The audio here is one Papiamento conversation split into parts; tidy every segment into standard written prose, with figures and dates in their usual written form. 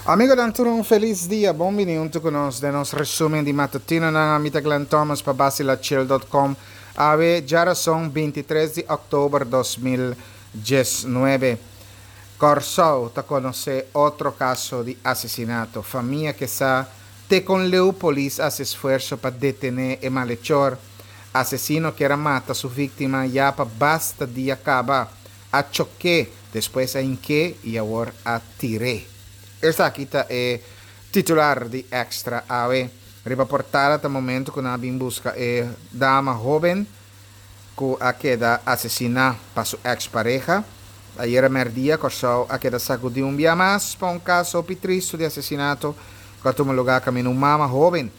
Amigonan tur un felis dia, bon bini hunto cu nos den nos resumen di matutinonan. Ami ta Glenn Thomas pa Bacilachill dot com. Awe djarason 23 di october 2019. Kòrsou ta konosé otro kaso di asesinato. Famia ke sa te kon leu polis a hasi esfuerso pa detené e malechor. Asesino kier a mata su víktima ya pa basta dia kaba. A chok'é, despues a hink'é i awor a tir'é. Esaki ta e titular di Extra awe. Riba portada ta momento ku nan a bin buska e dama hóben ku a keda asesiná pa su eks pareha. Ayera mèrdia Kòrsou a keda sakudí un bia mas pa un kaso hopi tristu di asesinato ku a tuma lugá kaminda un mama hóben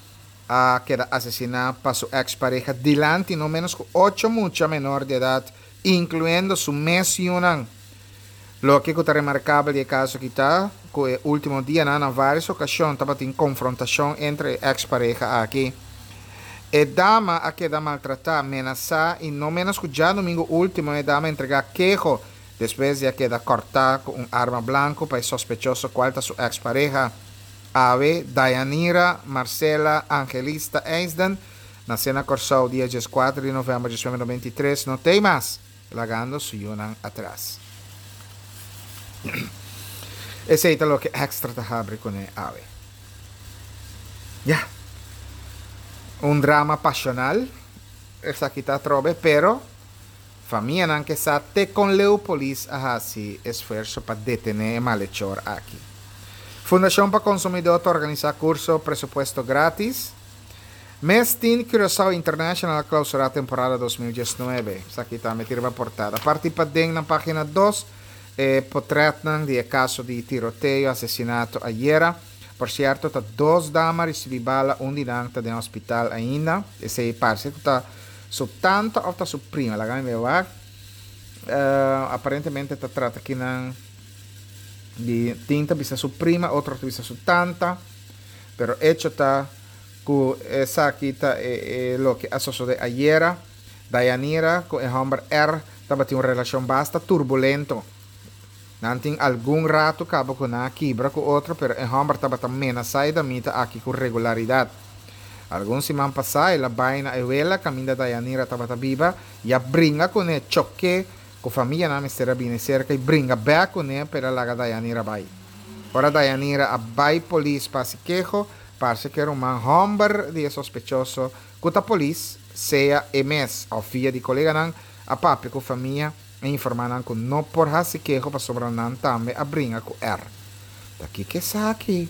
a keda asesiná pa su eks pareha dilanti no ménos ku ocho mucha menor di edat inkluyendo su mes yunan. Loke ku ta remarkabel di e kaso aki ta ku e último dianan na vários okashon tabatin konfrontashon entre e eks pareha aki. E dama a keda maltratá, menasá i no ménos ku djadumingu último e dama a entregá keho despues di a keda kòrtá ku un arma blanku pa e sospechoso kual ta su eks pareha. Awe Dayanira Marcela Angelista Eisden nasé na Kòrsou dia dieskuater di novèmber 1993 no t'ei mas. Lagando su yunan atras. Esei ta loke Extra ta habri kuné awe. Ya. Un drama pasional esaki ta atrobe, pero famianan ke sa te kon leu polis a hasi esfuerso pa detené e malechor aki. Fundashon pa Konsumidó ta organisá kurso Presupuesto Gratis. Mes tin Curaçao International a clausura temporada 2019. Esaki tambe tin riba portada. Parti paden na pagina dos e potretnan di e caso di tiroteo, asesinato ayera. Por cierto ta dos dama ricibi bala, un di nan ta den hospital ainda. Esey parce cu ta su tanta of ta su prima, laga mi bay wak. Aparentemente ta trata kinan di tin ta bisa su prima, otro ta bisa su tanta. Pero hecho ta Ku esaki ta e loke a sosodé ayera. Dayanira ku e hòmber R tabatin un relashon basta turbulento. Nan tin algun ratu kaba ku nan a kibra ku otro pero e hòmber tabata menasá e damita aki ku regularidat. Algun siman pasá el a bai na e wela kaminda Dayanira tabata biba i a bringa kuné chok'é Ku famianan mester a bini serka i bringa bek kuné pa el a laga Dayanira bai. Ora Dayanira a bai polis pa hasi keho, parse ku e ruman hòmber di e sospechoso, ku ta polis, sea e mes òf via di koleganan, a papia ku famia i informá nan ku no por hasi keho pasobra nan tambe a bringa ku er. Ta kiko esaki?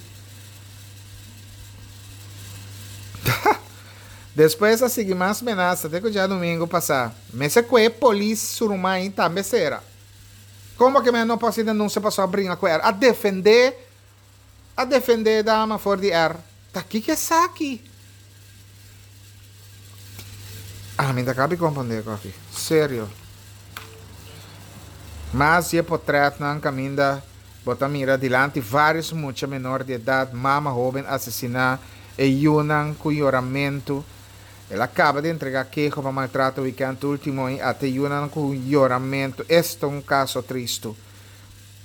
Despues a sigui mas menasa te ku djadumingu pasá. Mester ku e polis su ruman tambe sera. Komo ke men no por hasi denunsia paso a bringa ku er? A defendé a defendé e dama for di er. Ta kiko esaki? Ami ta kabi komprondé ku aki. Serio. Mas di e potretnan kaminda Bo ta mira dilanti vários mucha menor di edat, mama hóben asesiná, e yunan ku yoramentu. El a kaba di entregá keho pa maltrato wikènt último i ata e yunan ku yoramentu. Esta un kaso tristu.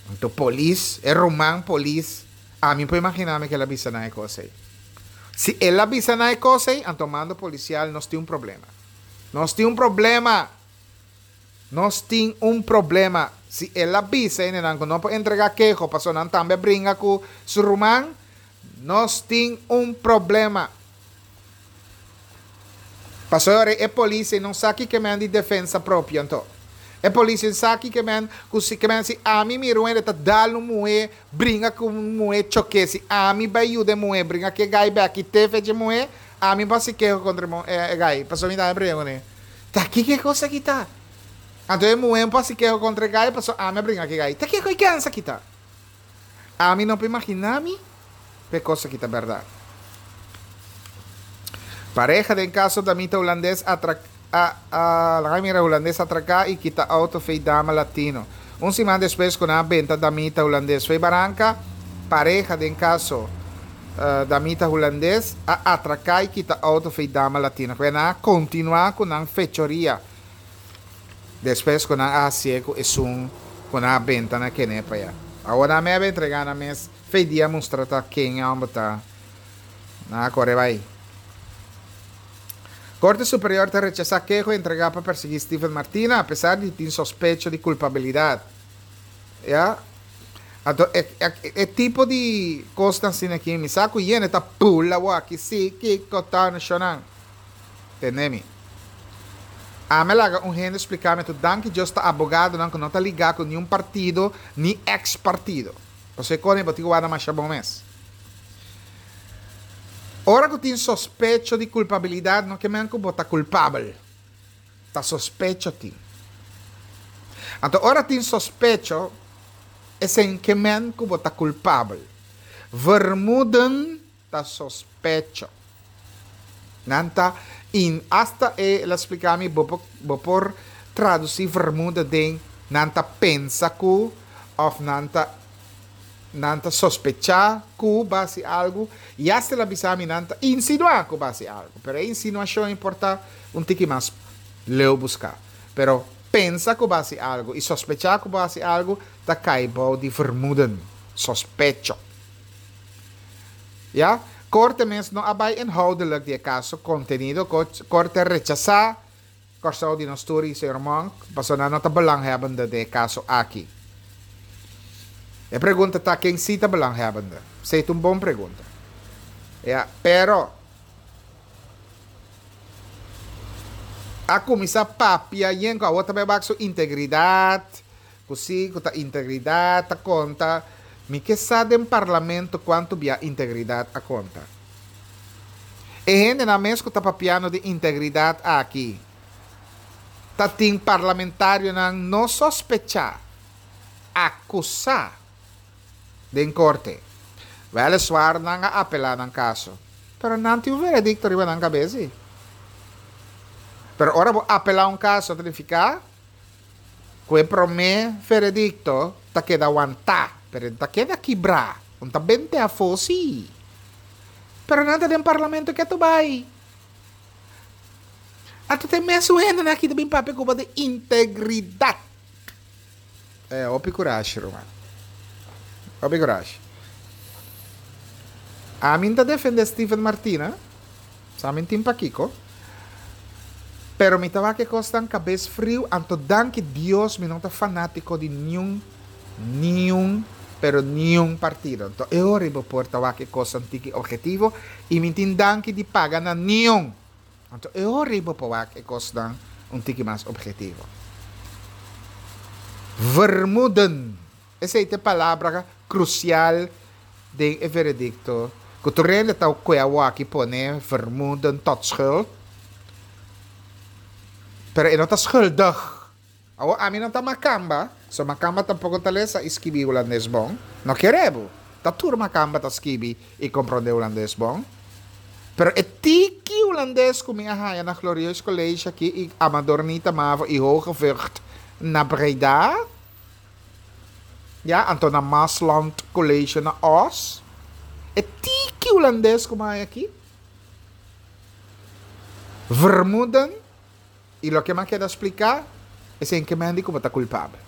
Anto polis, e ruman polis, ami por imaginá mi ku el a bisa nan e kos ei. Si el a bisa nan e kos ei, anto mando polisial nos tin un problema. Nos tin un problema! Nos tin un problema. Si el a bisa hendenan ku no por entregá keho pasobra nan tambe a bringa ku su ruman, nos tin un problema. Pasobra e polis ei no sa kiko men di defensa propio anto. E polis ei sa kiko men ku si ke men si ami mira un hende ta dal un muhé, bringa ku un muhé choké, si ami bai yuda e muhé bringa ku e gai bek i te fecha e muhé, ami por hasi keho kontra e gai pasobra mi tambe a bringa kuné. Ta kiko e kos aki ta? Anto e muhé un por hasi keho kontra e gai pasobra ami a bringa ku e gai. Ta kiko e kens aki ta? Ami no por imaginá mi ku e kos aki ta bèrdat. Pareha den kaso damita hulandes atra a a laga mira hulandes atraká i kita outo fei dama latino. Un siman despues ku nan a benta damita hulandes fei baranka, pareha den kaso Damita hulandes a atraká i kita outo fei dama latino. Kue nan a kontinuá ku nan fechoria despues ku nan a hasié ku esun ku nan a benta na kené pa ya. Awor nan mebe entregá nan mes. Fe dia mustra ta ken e hòmber ta. Nan a kore bai. Korte Superior ta rechasá keho entregá pa persiguí Steven Martina apesar di tin sospecho di kulpabilidat. Ya. Anto e e tipo di kosnan asina aki mi sa ku yende ta pula awor aki si kiko ta nashonnan. Tende mi. Ami a laga un hende splika mi anto danki Dios ta abogadonan ku no ta ligá ku niun partido ni eks partido. Pasobra e kos bo tin ku warda masha bon mes. Ora ku tin sospecho di kulpabilidat no ke men ku bo ta kulpabel. Ta sospecho tin. Anto ora tin sospecho esei ke men ku bo ta kulpabel. Vermoeden ta sospecho. Nan ta in hasta e el a splica mi bo por bo por traduci vermoeden den nan ta pensa cu of nan ta nan ta sospecha cu bo haci algo y hasta el a bisa mi nan ta insinua cu bo haci algo pero e insinuacion por ta un tiki mas leu busca pero pensa cu bo haci algo y sospecha cu bo haci algo ta cay bou di vermoeden, sospecho. Ya, Korte mes no a bai inhoudelijk di e kaso kontenido, Korte a rechasá Kòrsou di nos tur i señor Monk, pasobra nan no ta belanghebbende den e kaso aki. E pregunta ta ken si ta belanghebbende? Esei ta un bon pregunta. Ya, pero a kuminsá papia yen ku awor ta bai wak su integridat, Ku si ku ta integridat ta konta, mi ke sa den parlamento kuantu bia integridat a konta. E hendenan mes ku ta papiando di integridat aki ta tin parlamentarionan no sospechá, akusá den korte. Wèleswar nan a apelá nan kaso, pero nan tin un veredikto riba nan kabes si. Pero ora bo apelá un kaso ta nifiká Ku e promé veredikto ta keda wantá, pero e no ta keda kibrá. Un ta bente afó sí. Pero nan ta den parlamento ketu bai. Anto ta e mesun hendenan aki ta bin papia ku bo di integridat. Eh, hopi kurashi, ruman. Hopi kurashi. Ami ta defende Steven Martina, sa mi tin pakiko, pero mi ta wak e kosnan kabes friu, anto danki Dios mi no ta fanatiko di niun, niun, pero niun partido. Anto e ora bo por ta wak e kosnan tiki objetivo i mi tin danki di paga na niun. Anto e ora ei bo por wak e kosnan un tiki mas objetivo. Vermoeden, esei ta e palabra krusial den e veredikto ku tur hende ta kue awor aki pone vermoeden tot schuld, pero e no ta schuldig. Awor ami no ta makamba, so makamba tampoko ta lesa i skibi hulandes bon. No kere bo, ta tur makamba ta skibi i komprondé hulandes bon. Pero e tiki hulandes ku mi a haña na Glorieus College aki i Amador Nita Mavo i Hoge Vught na Breda, ya, anto na Maasland College na Oss, e tiki hulandes ku mi a haña aki, vermoeden, I loke m'a keda spliká, esei ke men di ku bo ta kulpabel.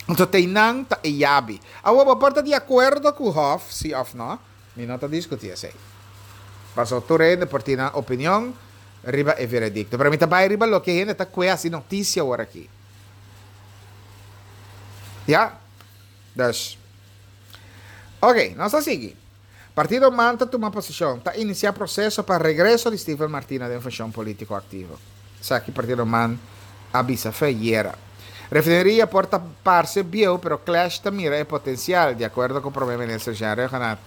Anto teinan ta e yabi. Awor bo por ta di akuerdo ku Hof, si òf no, mi no ta diskutí esei. Pasobra tur hende por tin nan opinion riba e veredikto. Pero mi ta bai riba loke hende ta kue hasi notisia awor aki. Ya? Dus. Oke, nos ta sigui. Partido man ta tuma posishon, ta inisiá proseso pa regreso di Steven Martina den funshon polítiko aktivo. Esaki Partido man a bisa fe ayera. Refineria por ta parse bieu pero Clash ta mira e potensial, di akuerdo ku Prome Minister Jean Rhuggenaath.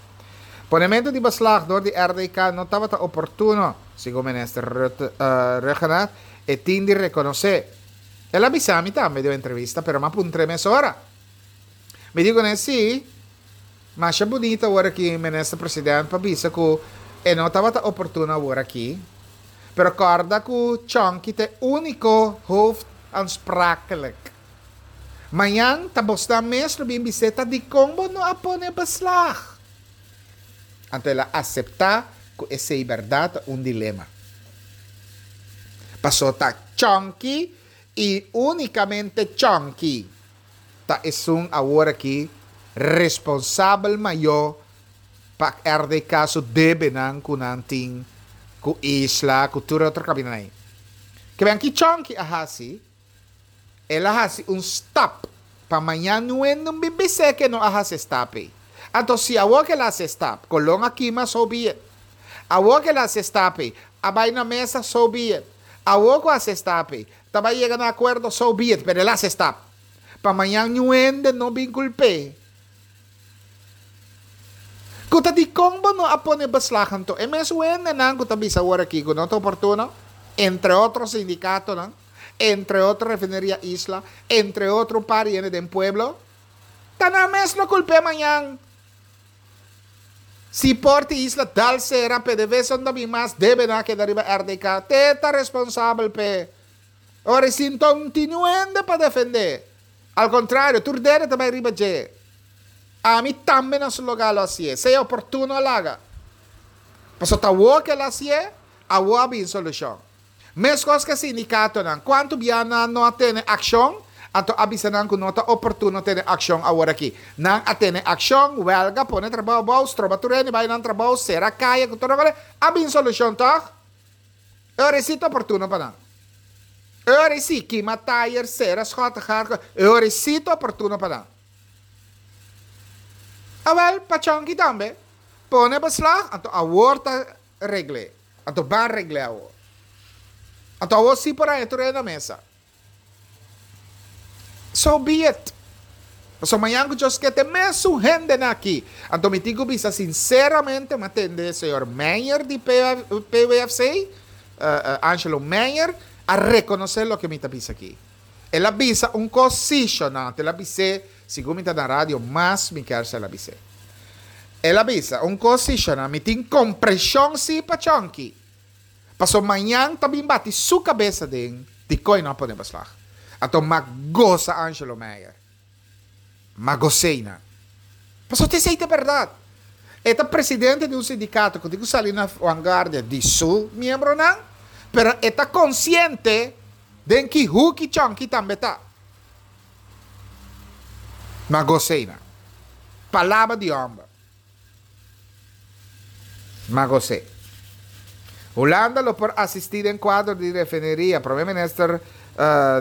Ponementu di beslag dor di RDK no tabata oportuno, segun Minister Rhuggenaath, e tin di rekonosé. El a bisa mi tambe den un entrevista pero m'a puntr'é mesora. Mi di kuné si. Masha bunita awor aki Minister President pa bisa cu e no tabata oportuno awor aki, pero corda cu Chonky ta e unico hoofdaansprakelijk. Mañan ta bosnan mes lo bin bis'é ta dicon bo no a pone beslag. Anto el a acepta cu esey berdad ta un dilema. Paso ta Chonky y unicamente Chonky. Ta esun awor aki responsabel mayó pa RDK su debenan ku nan tin ku Isla, ku tur e otro kamindanan ei. Ke ben ki Chonky a hasi, el a hasi un stap pa mañan niun no bin bis'é ke no a hasi e stap ei. Anto si awor ke el a hasi e stap, Colon a kima, so be it. Awor ke el a hasi e stap ei, a bai na mesa, so be it. Awor ku a hasi e stap ei, ta bai yega na akuerdo, so be it, pero el a hasi e stap. Pa mañan niun hende no bin kulp'é. Ku ta dikon bo no a pone beslag anto? E mes wendenan ku ta bisa awor aki ku no ta oportuno, entre otro sindikatonan, entre otro Refineria Isla, entre otro un par di hende den pueblo, ta nan mes lo kulp'é mañan. Si por di Isla dal sera, PDVSA no ta bin mas, debenan a keda riba RDK, te ta responsabel p'e. Ora e sinta un tin un hende pa defendé. Al kontrario, tur dede ta bai riba dje. Ami tambe na su lugá lo hasié, sea oportuno a laga. Pasobra ta awor ku el a hasié, awor a bin solushon. Meskos ku e sindikatonan, kuantu bia nan no a tene akshon, anto a bisa nan ku no ta oportuno tene akshon awor aki. Nan a tene akshon, wèlga, pone trabou abou, stroba tur hende bai nan trabou, sera kaya ku tur loke, a bin solushon tòg? E ora ei sí ta oportuno pa nan. E ora ei sí, kima tayer, sera schottegaat, e ora ei sí ta oportuno pa nan. Awel, pa Chonky tambe, pone beslag, anto awor ta regl'é. Anto ban regl'é awor. Anto awor sí por haña tur hende na mesa. So be it. Pasobra mañan ku Dios ke te mesun hendenan aki. Anto mi tin ku bisa sinseramente mi a tende señor Meyer di PWFC, Angelo Meyer, a rekonosé loke mi ta bisa aki. El a bisa un kos sí, shonnan, anto el a bis'é, segun mi ta na radio mas mi kier sa el a bis'é. El a bisa un kos sí, shonnan, mi tin kompreshon sí pa Chonky. Paso mañan ta bin bati su cabeza den dicon e no a pone beslag. Anto m'a goza Angelo Meyer. M'a goz'é nan. Paso t'esey ta berdad. E ta presidente di un sindicato cu tin cu sali na vanguardia di su miembronan, pero e ta consciente den ki huki chonki tambe ta. M'a goz'é nan. Palabra di homber. Magosé. Hulanda lo por asistí den kuadro di refineria. Prome Minister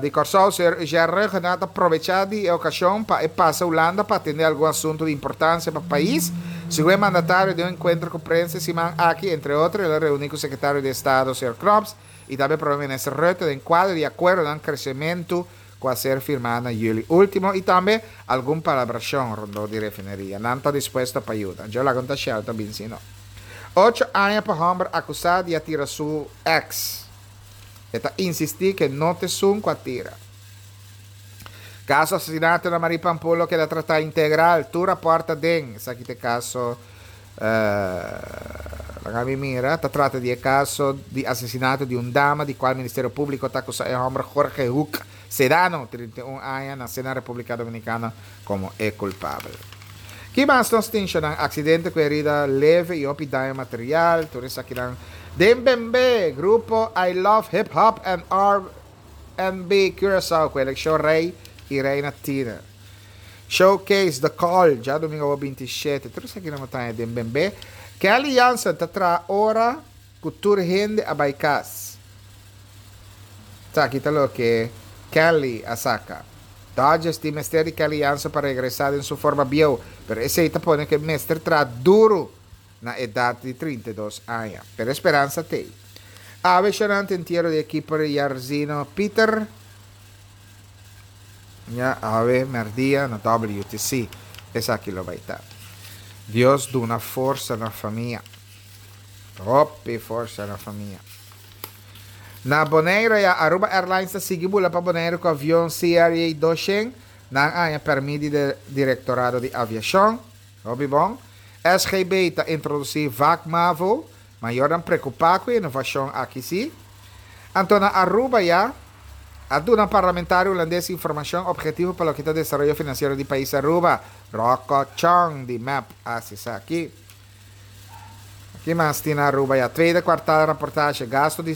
di Kòrsou, señor Eugène Rhuggenaath a probechá di e okashon pa e pasa Hulanda pa atendé algun asuntu di importansia pa pais. Segun e mandatario den un enkuentro ku prensa e siman aki, entre otro el a reuní ku Sekretario di Estado, señor Knops, i tambe Prome Minister Rutte den kuadro di akuerdonan kresementu ku a ser firmá na yüli último i tambe algun palabrashon rondó di refineria. Nan ta dispuesto pa yuda. Djo laga un ta Shell ta bin si no. Ocho aña pa hòmber akusá di a tira su eks. E ta insistí ku e no ta esun ku a tira. Kaso asesinato na Marie Pampoen lo keda tratá integral. Tur rapòrt ta den. Esaki ta e kaso. Laga mi mira, ta trata di e kaso di asesinato di un dama di kual Ministerio Públiko ta akusá e hòmber Jorge Hoek Sedano, 31 aña, nasé na Repúblika Dominikana, komo e kulpabel. Ki mas nos tin, Shonan? Aksidente ku herida leve i hopi daño material, tur esakinan den Bembe, Grupo I Love Hip Hop and R&B Curaçao ku elekshon Rei i Reina Tiner. Showcase The Call, djadumingu awor 27. Tur esaki nan bo ta haña den Bembe. Kelly Jansen ta traha ora ku tur hende a bai kas. Esaki ta loke Kelly a saka. Dodgers tin mester di Kelly Jansen pa regresá den su forma bieu, pero esei ta pone ku e mester traha duru na edat di 32 aña. Pero e speransa t'ei. Awe shonante entiero di e keeper Jarzino Pieter. Ya awe merdia na WTC esaki lo bai ta. Dios duna forsa na famia. Hopi forsa na famia. Na Bonaire ya Aruba Airlines ta sigui bula pa Bonaire ku avion CRJ 200. Nan a haña permit di de Direktorado di Aviashon. Hopi bon. SGB ta introdusí Vak Mavo. Mayornan preocupa cu e innovacion aki si. Anto na Aruba ya a duna parlamentario Hulandes informacion objetivo pa loke ta desaroyo financiero di pais Aruba. Rocco Chong di mep a haci esaki. Ki mas tin na Aruba ya? Tweede kwartaal raportage, gasto di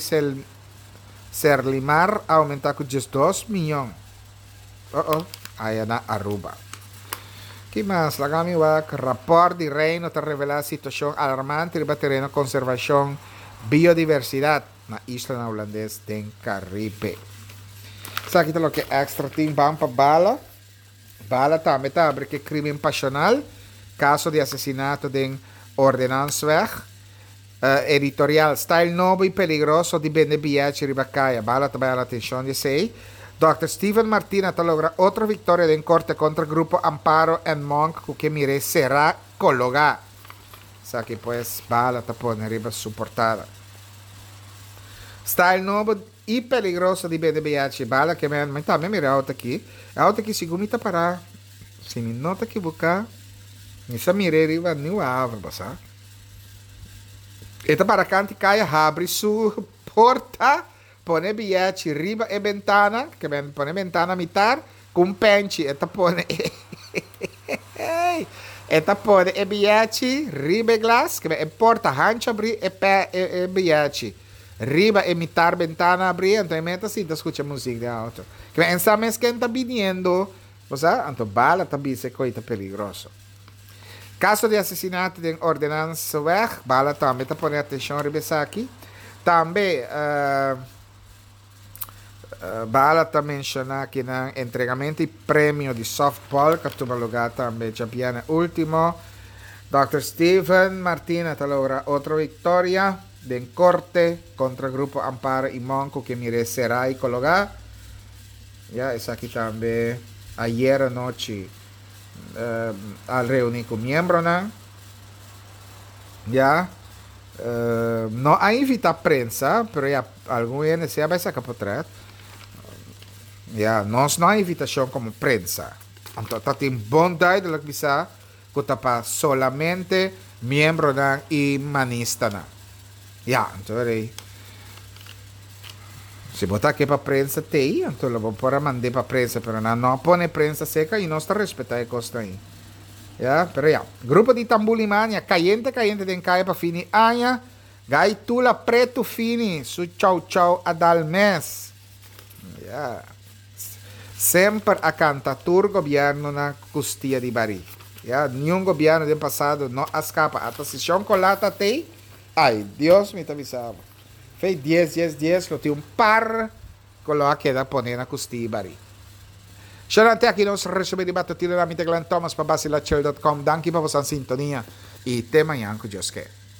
Serlimar a aumenta cu 12 miyon. Oh oh, aya na Aruba. Ki mas? Laga mi wak. Rapòrt di Reino ta revelá situashon alarmante riba tereno konservashon biodiversidat na islanan hulandes den Karibe. Esaki ta loke Extra tin. Ban pa bala. Bala tambe ta habri ku e krimen pashonal, kaso di asesinato den Ordenansweg. Editorial, Style nobo y peligroso di bende biyachi riba caya. Bala ta bay ala atencion di esey. Dòkter Steven Martina ta logra otro victoria den corte contra grupo Amparo en Monk cu ke mire sera cologa. Esaki pues Bala ta pone riba su portada. Style nobo y peligroso di bende biyachi. Bala ke men, mi tambe mira e auto aki. E auto aki segun mi ta para, si mi no ta ekiboca, mi sa mire riba Nieuwe Haven, bo sa. E ta para kanti kaya habri su porta, pone biyechi riba e bentana, ke men pone bentana mitar, ku un penchi e ta pone e e ta pone e biyechi riba e glas, ke men e porta hanchu abri e pe e e biyechi riba e mitar bentana abri, anto e men ta sinta skucha muzik den auto. Ke men sa mes ken ta biniendo, bo sa, anto bala ta bisa e koi ta peligroso. Kaso di asesinato den Ordenanseweg, Bala tambe ta pone atenshon riba esaki. Tambe Bala ta menshoná kinan entregamento di premio di softball ku a tuma lugá tambe djabièrnè último. Dòkter Steven Martina ta logra otro viktoria den korte kontra Grupo Amparo i Monk ku ke mir'é será i kologá. Ya esaki tambe ayera nochi. A reuni cu miembronan ya no a invita prensa pero ya algun hende si a bay saca potret ya nos no a invitacion como prensa anto ta tin bon duidelijk bisa cu ta pa solamente miembronan y manistanan. Ya, anto rei, si bo ta ke pa prensa tei, anto lo bo por a mand'é pa prensa, pero nan no a pone prensa seka i nos ta respetá e kosnan ei. Ya, pero ya. Grupo di Tambulimania, kayente kayente den kaya pa fin di aña, Gai Tula Pretu Fini su chou chou a dal mes. Ya. Semper a kanta tur gobièrnunan kustia di barí. Ya, niun gobièrnu den pasado no a skapa. Ata si Shon Colá ta tei, Ay, Dios mi ta bisa bo. Fei dies, dies, dies lo tin un par ku lo a keda pone na kustí i barí. Shonnan te aki nos resumí di Batutino na mi ta Glenn Thomas pa Basilachel dot com. Danki pa bosan sintonia i te mañan ku Dios ke.